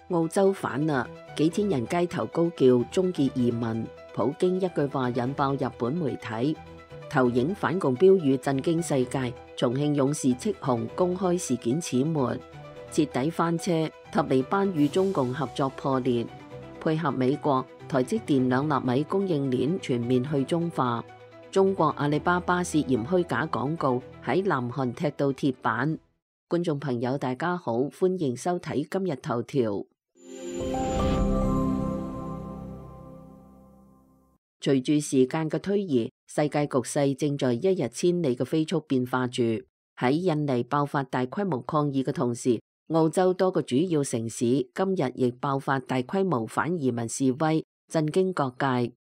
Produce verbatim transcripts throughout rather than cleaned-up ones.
澳洲反啦，幾千人街頭高叫終結移民，普京一句話引爆日本媒體，投影反共標語震驚世界，重慶勇士戚紅公開事件始末，徹底翻車，塔利班與中共合作破裂，配合美國，台積電兩納米供應鏈全面去中化，中國阿里巴巴涉嫌虛假廣告喺南韓踢到鐵板。觀眾朋友大家好，歡迎收睇今日頭條。隨住時間嘅推移，世界局勢正在一日千里嘅飛速變化住。喺印尼爆發大規模抗議嘅同時，澳洲多個主要城市今日亦爆發大規模反移民示威，震驚各界。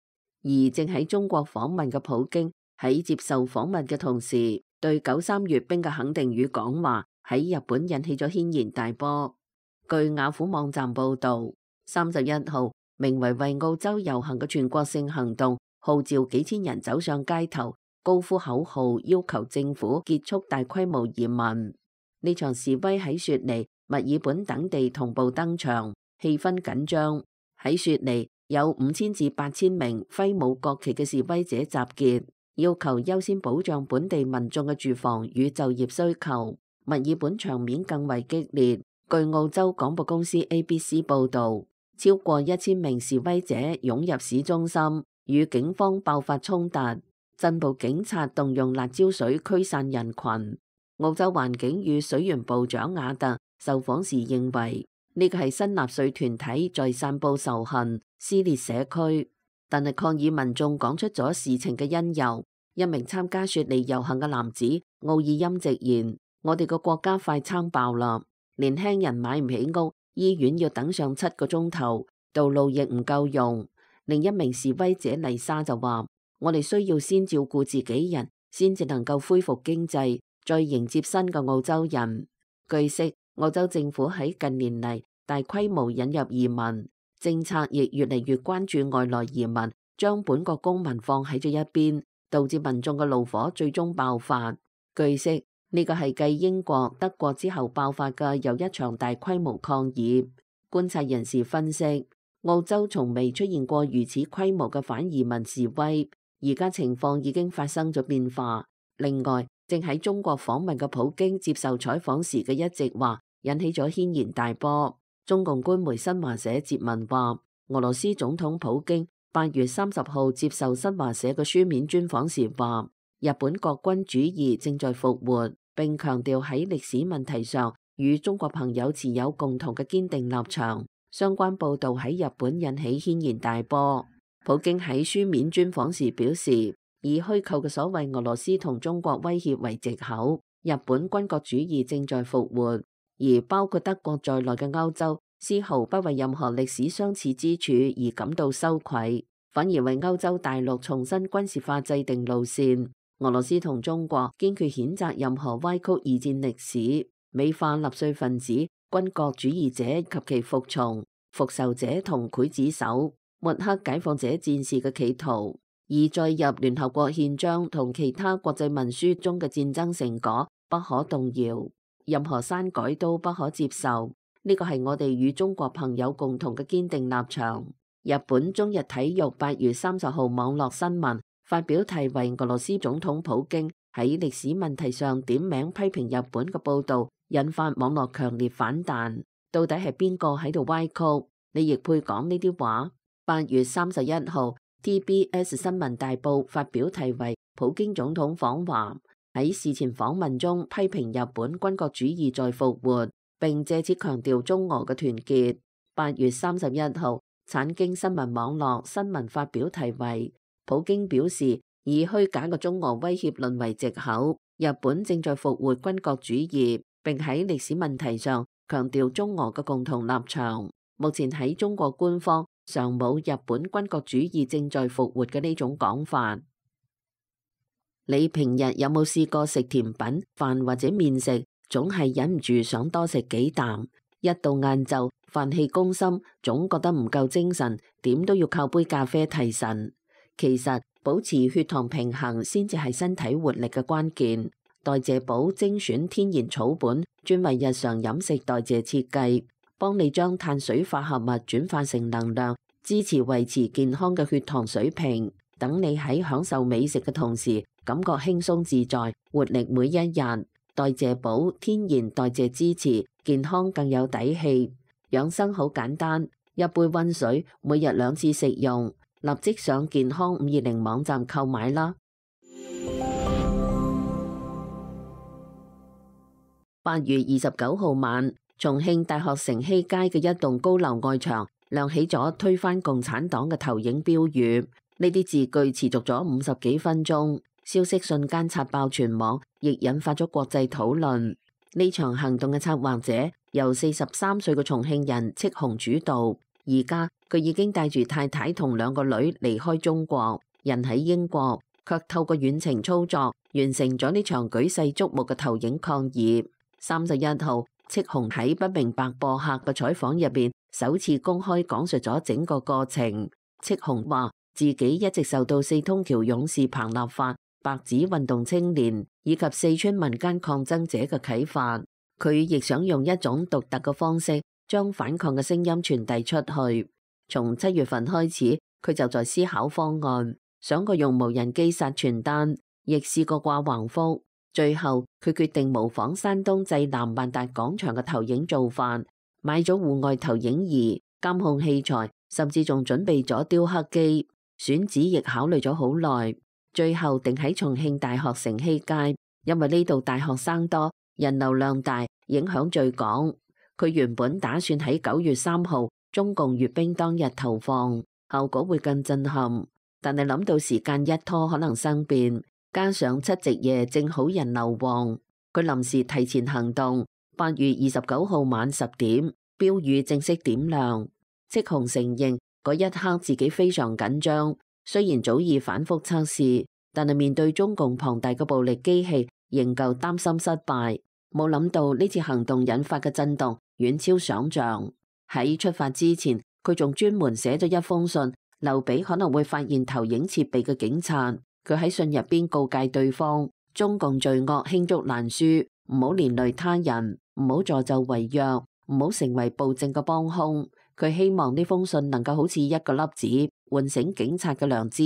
而正喺中國訪問嘅普京喺接受訪問嘅同時，對九三閱兵嘅肯定語講話喺日本引起咗軒然大波。據雅虎網站報道，三十一號名為為澳洲遊行嘅全國性行動號召幾千人走上街頭，高呼口號，要求政府結束大規模移民。呢場示威喺雪梨、墨爾本等地同步登場，氣氛緊張。喺雪梨有五千至八千名揮舞國旗嘅示威者集結，要求優先保障本地民眾嘅住房與就業需求。墨爾本場面更為激烈。據澳洲廣播公司 A B C 報道，超過一千名示威者湧入市中心，與警方爆發衝突，鎮暴警察動用辣椒水驅散人群。澳洲環境與水源部長瓦特受訪時認為，呢個係新納粹團體在散佈仇恨、撕裂社區。但係抗議民眾講出咗事情嘅因由。一名參加雪梨遊行嘅男子奧爾欽直言：我哋個國家快撐爆啦！年輕人買唔起屋，醫院要等上七個鐘頭，道路亦唔夠用。另一名示威者麗莎就話：我哋需要先照顧自己人，先至能夠恢復經濟，再迎接新嘅澳洲人。據悉，澳洲政府喺近年嚟大規模引入移民政策，亦越嚟越關注外來移民，將本國公民放喺咗一邊，導致民眾嘅怒火最終爆發。據悉，呢個係繼英國、德國之後爆發嘅又一場大規模抗議。觀察人士分析，澳洲從未出現過如此規模嘅反移民示威，而家情況已經發生咗變化。另外，正喺中國訪問嘅普京接受採訪時嘅一席話，引起咗軒然大波。中共官媒新華社接文話，俄羅斯總統普京八月三十號接受新華社嘅書面專訪時話，日本國軍主義正在復活，並強調喺歷史問題上與中國朋友持有共同嘅堅定立場。相關報導喺日本引起軒然大波。普京喺書面專訪時表示，以虛構嘅所謂俄羅斯同中國威脅為藉口，日本軍國主義正在復活，而包括德國在內嘅歐洲絲毫不為任何歷史相似之處而感到羞愧，反而為歐洲大陸重新軍事化制定路線。俄羅斯同中國堅決譴責任何歪曲二戰歷史、美化納粹分子、軍國主義者及其服從、復仇者同劊子手、抹黑解放者戰士嘅企圖，而載入聯合國憲章同其他國際文書中嘅戰爭成果不可動搖，任何刪改都不可接受。呢個係我哋與中國朋友共同嘅堅定立場。日本中日體育八月三十號網絡新聞發表題為俄羅斯總統普京喺歷史問題上點名批評日本嘅報導，引發網絡強烈反彈。到底係邊個喺度歪曲？你亦配講呢啲話？八月三十一號 T B S 新聞大報發表題為普京總統訪華，喺事前訪問中批評日本軍國主義在復活，並借此強調中俄嘅團結。八月三十一號產經新聞網絡新聞發表題為普京表示，以虛假嘅中俄威脅論為藉口，日本正在復活軍國主義，並喺歷史問題上強調中俄嘅共同立場。目前喺中國官方尚冇日本軍國主義正在復活嘅呢種講法。你平日有冇試過食甜品、飯或者麵食，總係忍唔住想多食幾啖？一到晏晝，飯氣攻心，總覺得唔夠精神，點都要靠杯咖啡提神。其實保持血糖平衡先至係身體活力嘅關鍵。代謝寶精選天然草本，專為日常飲食代謝設計，幫你將碳水化合物轉化成能量，支持維持健康嘅血糖水平，等你喺享受美食嘅同時，感覺輕鬆自在，活力每一日。代謝寶天然代謝支持，健康更有底氣。養生好簡單，一杯溫水，每日兩次食用。立即上健康五二零網站購買啦。八月二十九號晚，重慶大學城西街嘅一棟高樓外牆亮起咗推翻共產黨嘅投影標語，呢啲字句持續咗五十幾分鐘，消息瞬間刷爆全網，亦引發咗國際討論。呢場行動嘅策劃者由四十三歲嘅重慶人戚紅主導，而家佢已經帶住太太同兩個女離開中國，人喺英國，卻透過遠程操作完成咗呢場舉世矚目嘅投影抗議。三十一號，戚紅喺不明白播客嘅採訪入邊，首次公開講述咗整個過程。戚紅話自己一直受到四通橋勇士彭立發、白紙運動青年以及四川民間抗爭者嘅啟發，佢亦想用一種獨特嘅方式將反抗嘅聲音傳遞出去。從七月份開始，佢就在思考方案，想過用無人機殺傳單，亦試過掛橫幅。最後佢決定模仿山東濟南萬達廣場嘅投影做法，買咗戶外投影儀、監控器材，甚至仲準備咗雕刻機。選址亦考慮咗好耐，最後定喺重慶大學城西街，因為呢度大學生多，人流量大，影響最廣。佢原本打算喺九月三號中共閱兵當日投放，效果會更震撼，但係諗到時間一拖可能生變。加上七夕夜正好人流旺，佢臨時提前行動。八月二十九號晚十點，標語正式點亮。戚紅承認嗰一刻自己非常緊張，雖然早已反覆測試，但係面對中共龐大嘅暴力機器，仍舊擔心失敗。冇諗到呢次行動引發嘅震動遠超想象。喺出發之前，佢仲專門寫咗一封信，留俾可能會發現投影設備嘅警察。佢喺信入邊告誡對方，中共罪惡罄竹難書，唔好連累他人，唔好助紂為虐，唔好成為暴政嘅幫兇。佢希望呢封信能夠好似一個粒子，喚醒警察嘅良知。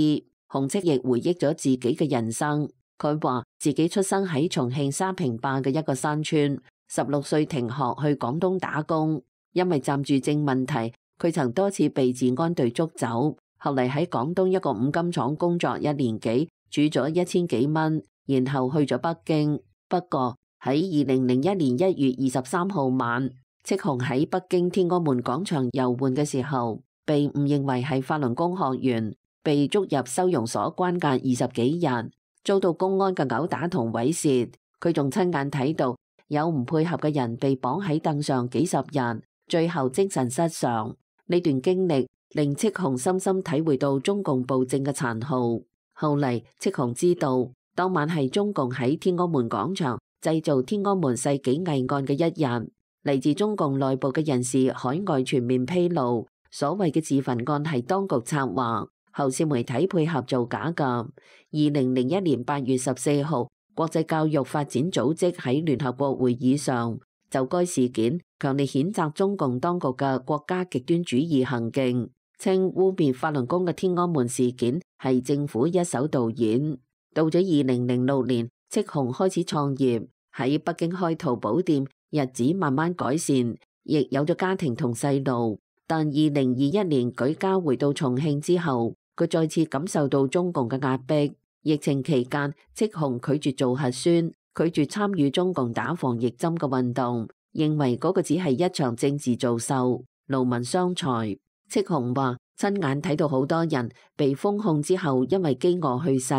紅戚亦回憶咗自己嘅人生，佢話自己出生喺重慶沙坪壩嘅一個山村，十六歲停學去廣東打工，因為暫住證問題，佢曾多次被治安隊捉走。後嚟喺廣東一個五金廠工作一年幾，儲咗一千幾蚊，然後去咗北京。不過喺二零零一年一月二十三號晚，戚紅喺北京天安門廣場遊玩嘅時候，被誤認為係法輪功學員，被捉入收容所關押二十幾日，遭到公安嘅毆打同猥褻。佢仲親眼睇到有唔配合嘅人被綁喺凳上幾十日，最後精神失常。呢段經歷令戚紅深深體會到中共暴政嘅殘酷。後嚟戚紅知道，當晚係中共喺天安門廣場製造天安門世紀偽案嘅一日。嚟自中共內部嘅人士海外全面披露，所謂嘅自焚案係當局策劃，後線媒體配合造假㗎。二零零一年八月十四號，國際教育發展組織喺聯合國會議上就該事件強烈譴責中共當局嘅國家極端主義行徑，稱污衊法輪功嘅天安門事件係政府一手導演。到咗二零零六年，戚紅開始創業，喺北京開淘寶店，日子慢慢改善，亦有咗家庭同細路。但二零二一年舉家回到重慶之後，佢再次感受到中共嘅壓迫。疫情期間，戚紅拒絕做核酸，拒絕參與中共打防疫針嘅運動，認為嗰個只係一場政治造秀，勞民傷財。戚紅話親眼睇到好多人被封控之後因為飢餓去世，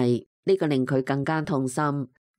呢個令佢更加痛心。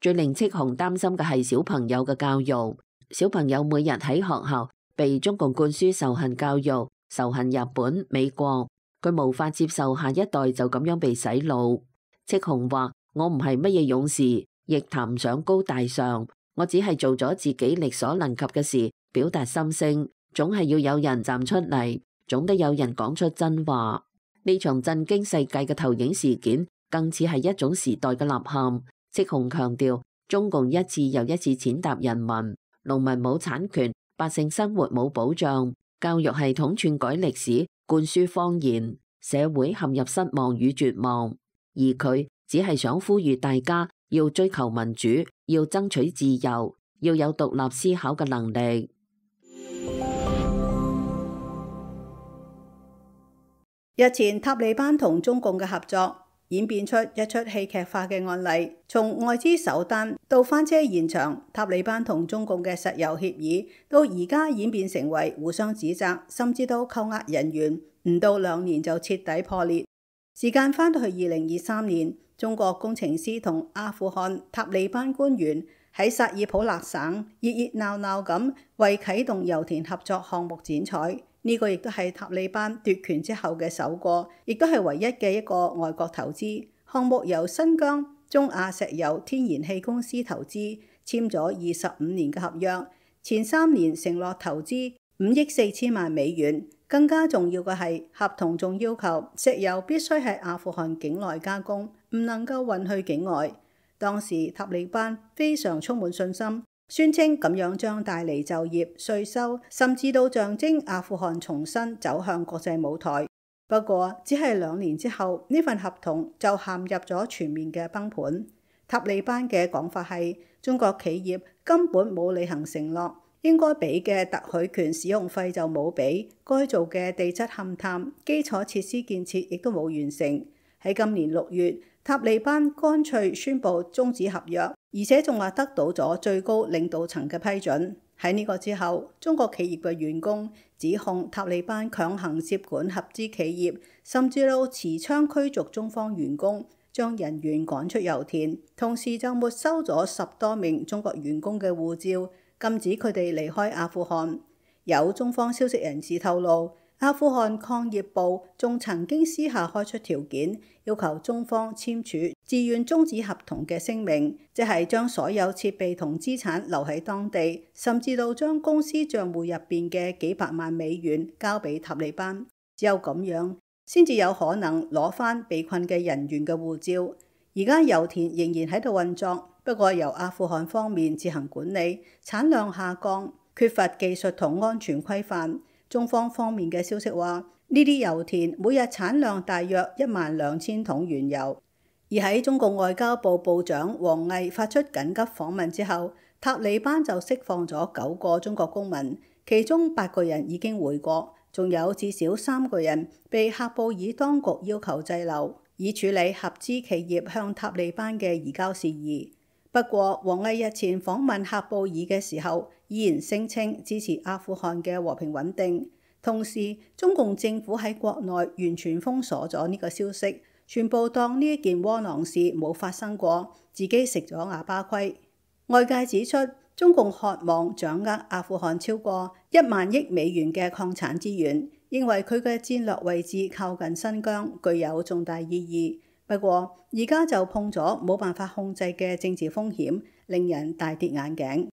最令戚紅擔心嘅係小朋友嘅教育，小朋友每日喺學校被中共灌輸仇恨教育，仇恨日本、美國，佢無法接受下一代就咁樣被洗腦。戚紅話：我唔係乜嘢勇士，亦談唔上高大上，我只係做咗自己力所能及嘅事，表達心聲。總係要有人站出嚟，總得有人講出真話。呢場震驚世界嘅投影事件，更似係一種時代嘅吶喊。戚紅強調，中共一次又一次踐踏人民，農民冇產權，百姓生活冇保障，教育系統篡改歷史，灌輸謊言，社會陷入失望與絕望。而佢只係想呼籲大家要追求民主，要爭取自由，要有獨立思考嘅能力。日前塔利班同中共嘅合作演變出一出戲劇化嘅案例，從外資首單到翻車現場，塔利班同中共嘅石油協議，到而家演變成為互相指責，甚至到扣押人員，唔到兩年就徹底破裂。時間翻到去二零二三年，中國工程師同阿富汗塔利班官員喺薩爾普勒省熱熱鬧鬧咁為啟動油田合作項目剪彩。呢個亦都係塔利班奪權之後嘅首個，亦都係唯一嘅一個外國投資項目，由新疆中亞石油天然氣公司投資，簽咗二十五年嘅合約，前三年承諾投資五億四千萬美元。更加重要嘅係，合同仲要求石油必須喺阿富汗境內加工，唔能夠運去境外。當時塔利班非常充滿信心，宣稱咁樣將帶嚟就業、稅收，甚至到象徵阿富汗重新走向國際舞台。不過，只係兩年之後，呢份合同就陷入咗全面嘅崩盤。塔利班嘅講法係，中國企業根本冇履行承諾，應該俾嘅特許權使用費就冇俾，該做嘅地質勘探、基礎設施建設亦都冇完成。喺今年六月，塔利班乾脆宣布終止合約，而且仲話得到咗最高領導層嘅批准。喺呢個之後，中國企業嘅員工指控塔利班強行接管合資企業，甚至到持槍驅逐中方員工，將人員趕出油田，同時就沒收咗十多名中國員工嘅護照，禁止佢哋離開阿富汗。有中方消息人士透露，阿富汗礦業部仲曾經私下開出條件，要求中方簽署自願終止合同嘅聲明，即係將所有設備同資產留喺當地，甚至到將公司賬戶入邊嘅幾百萬美元交俾塔利班。只有咁樣先至有可能攞翻被困嘅人員嘅護照。而家油田仍然喺度運作，不過由阿富汗方面自行管理，產量下降，缺乏技術同安全規範。中方方面嘅消息話，呢啲油田每日產量大約一萬兩千桶原油。而喺中共外交部部長王毅發出緊急訪問之後，塔利班就釋放咗九個中國公民，其中八個人已經回國，仲有至少三個人被喀布爾當局要求滯留，以處理合資企業向塔利班嘅移交事宜。不過，王毅日前訪問喀布爾嘅時候，依然聲稱支持阿富汗嘅和平穩定。同時，中共政府喺國內完全封鎖咗呢個消息，全部當呢一件窩囊事冇發生過，自己食咗啞巴虧。外界指出，中共渴望掌握阿富汗超過一萬億美元嘅礦產資源，認為佢嘅戰略位置靠近新疆，具有重大意義。不過，而家就碰咗冇辦法控制嘅政治風險，令人大跌眼鏡。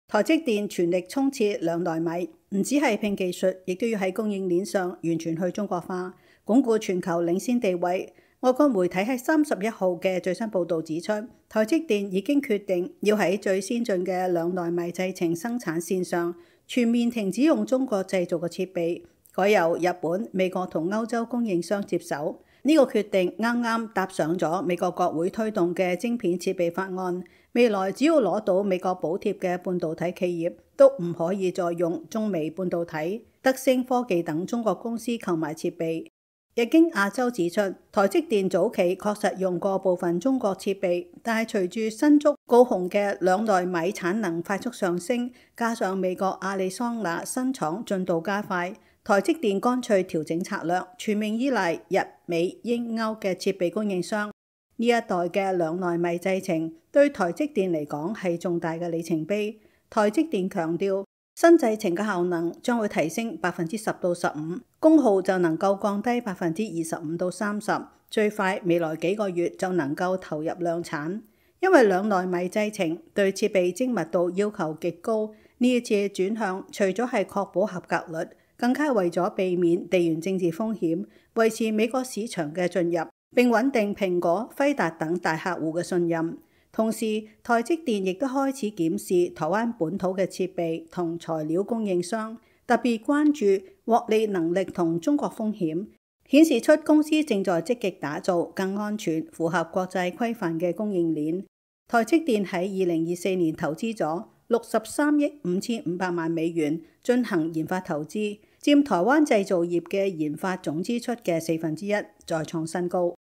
台積電全力衝刺兩奈米，唔止係拼技術，亦都要喺供應鏈上完全去中國化，鞏固全球領先地位。外國媒體喺三十一號嘅最新報導指出，台積電已經決定要喺最先進嘅兩奈米製程生產線上全面停止用中國製造嘅設備，改由日本、美國同歐洲供應商接手。呢個決定啱啱搭上咗美國國會推動嘅晶片設備法案，未來只要攞到美國補貼嘅半導體企業都唔可以再用中微半導體、德星科技等中國公司購買設備。日經亞洲指出，台積電早期確實用過部分中國設備，但係隨住新竹、高雄嘅兩奈米產能快速上升，加上美國亞利桑那新廠進度加快，台積電乾脆調整策略，全面依賴日美英歐嘅設備供應商。呢一代嘅兩奈米製程對台積電嚟講係重大嘅里程碑。台積電強調，新製程嘅效能將會提升百分之十到十五，功耗就能夠降低百分之二十五到三十，最快未來幾個月就能夠投入量產。因為兩奈米製程對設備精密度要求極高，呢一次轉向除咗係確保合格率，更加為咗避免地緣政治風險，維持美國市場嘅進入，並穩定蘋果、輝達等大客戶嘅信任。同時，台積電亦都開始檢視台灣本土嘅設備同材料供應商，特別關注獲利能力同中國風險，顯示出公司正在積極打造更安全、符合國際規範嘅供應鏈。台積電喺二零二四年投資咗六十三億五千五百萬美元進行研發投資，佔台灣製造業嘅研發總支出嘅四分之一，再創新高。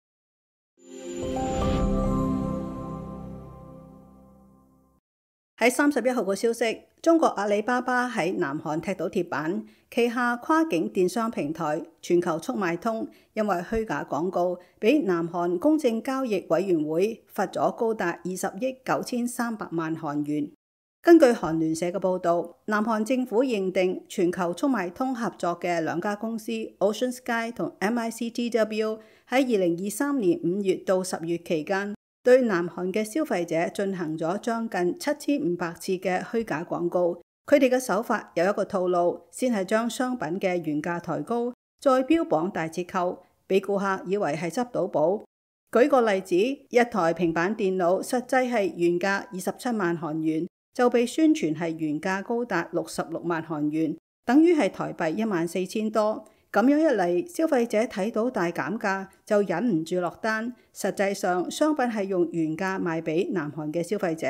喺三十一號嘅消息，中國阿里巴巴喺南韓踢到鐵板，旗下跨境電商平台全球速賣通因為虛假廣告，俾南韓公正交易委員會罰咗高達二十億九千三百萬韓元。根據韓聯社嘅報導，南韓政府認定全球速賣通合作嘅兩家公司 Ocean Sky 同 M I C T W 喺二零二三年五月到十月期間，對南韓嘅消費者進行咗將近七千五百次嘅虛假廣告。佢哋嘅手法有一個套路，先係將商品嘅原價抬高，再標榜大折扣，俾顧客以為係執到寶。舉個例子，一台平板電腦實際係原價二十七萬韓元，就被宣傳係原價高達六十六萬韓元，等於係台幣一萬四千多。咁樣一嚟，消費者睇到大減價就忍唔住落單。實際上，商品係用原價賣俾南韓嘅消費者。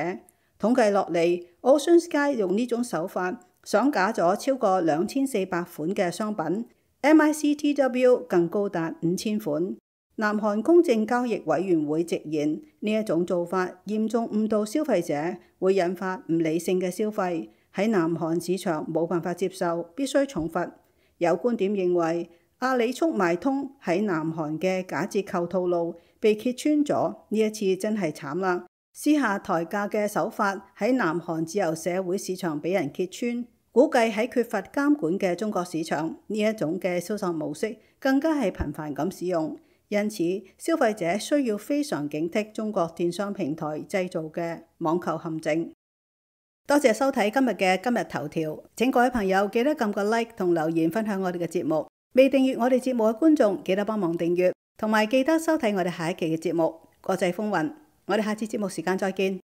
統計落嚟 ，Ocean Sky 用呢種手法上架咗超過兩千四百款嘅商品 ，M I C T W 更高達五千款。南韓公正交易委員會直言，呢一種做法嚴重誤導消費者，會引發唔理性嘅消費，喺南韓市場冇辦法接受，必須重罰。有觀點認為，阿里速賣通喺南韓嘅假折扣套路被揭穿咗，呢一次真係慘啦！私下抬價嘅手法喺南韓自由社會市場俾人揭穿，估計喺缺乏監管嘅中國市場，呢一種嘅銷售模式更加係頻繁咁使用。因此，消費者需要非常警惕中國電商平台製造嘅網購陷阱。多謝收睇今日嘅今日頭條，請各位朋友記得撳個 like 同留言分享我哋嘅節目。未訂閱我哋節目嘅觀眾，記得幫忙訂閱，同埋記得收睇我哋下一期嘅節目《國際風雲》。我哋下次節目時間再見。